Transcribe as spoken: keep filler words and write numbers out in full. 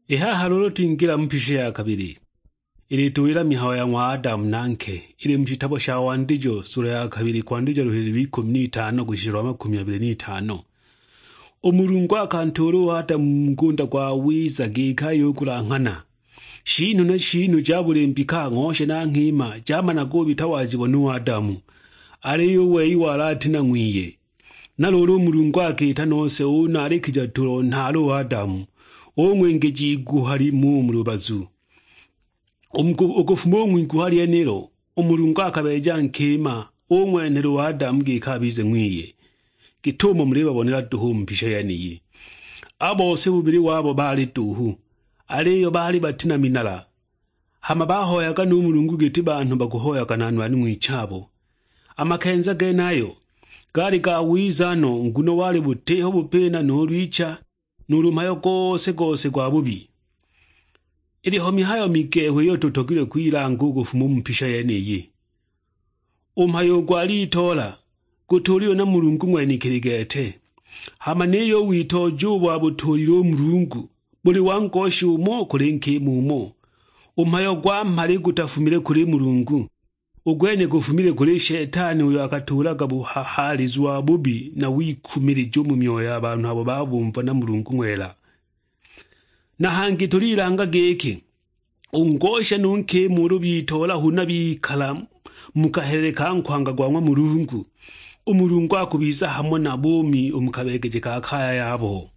I haha luulu twingila mu mpisha ya kabili, ilituwila mihayo ya ng'wa Adamu na nke, ili mu shitabo sha Wandijo, sula ya kabili, kwandija luhili lw'ikumi n'itano kushisha lwa makumi abili n'itano. U Mulungu akantuula u Adamu mu ngunda gwa wiza giki ayugulanghana. Shinhu na shinhu ja buli mbika, ng'osha na nkima, jamanaga ubita wajibona u Adamu, aliyo u wei wali ati na ng'wiye. Na luulu u Mulungu akiita nose unaalikija tulo nhaale u Adamu, ung'wengeja iguha limu u mu lubazu. U mu ku-, u kufuma u ng'wiguha lyenilo, u Mulungu akabeeja nkima, ung'wenhela u Adamu giki abize ng'wiye, git'umo mulibabonela duhu u mu mpisha yeniyi. A bose bubili wabo baali duhu, aliyo baali bati na minala. Hama bahoyaga nu Mulungu giti banhu baguhoyaga na nwani ng'wichabo. A makenza genayo gaali ga wiza no, nguno wali butiho bupina nuulu icha, nuulu mhayo gose-gose gwa bubi. Iliho mihayo migehu iyo tutogilwe kwilanga u kufuma u mu mpisha yeniyi. U mhayo u gwa litoola gutuulilwe na Mulungu ng'wenekili gete. Hama niyo u witooji ubo abutuulile u Mulungu buli wa ngosha umo kuli nkima umo. U mhayo gwa mhali gutafumile kuli Mulungu, u gwene gufumile kuli Shetani, uyo akatuulaga buhahaalizu wa bubi na wikumilija u mu myoyo ya banhu abo babumva na Mulungu ng'wela. Na hangi tulilanga giki, u ngosha nu nkima ulu bitoola huna bikala mu kahelele ka nkwanga gwa ng'wa Mulungu, u Mulungu akubiza hamo nabo u mu kabeegeje ka kaya yabo.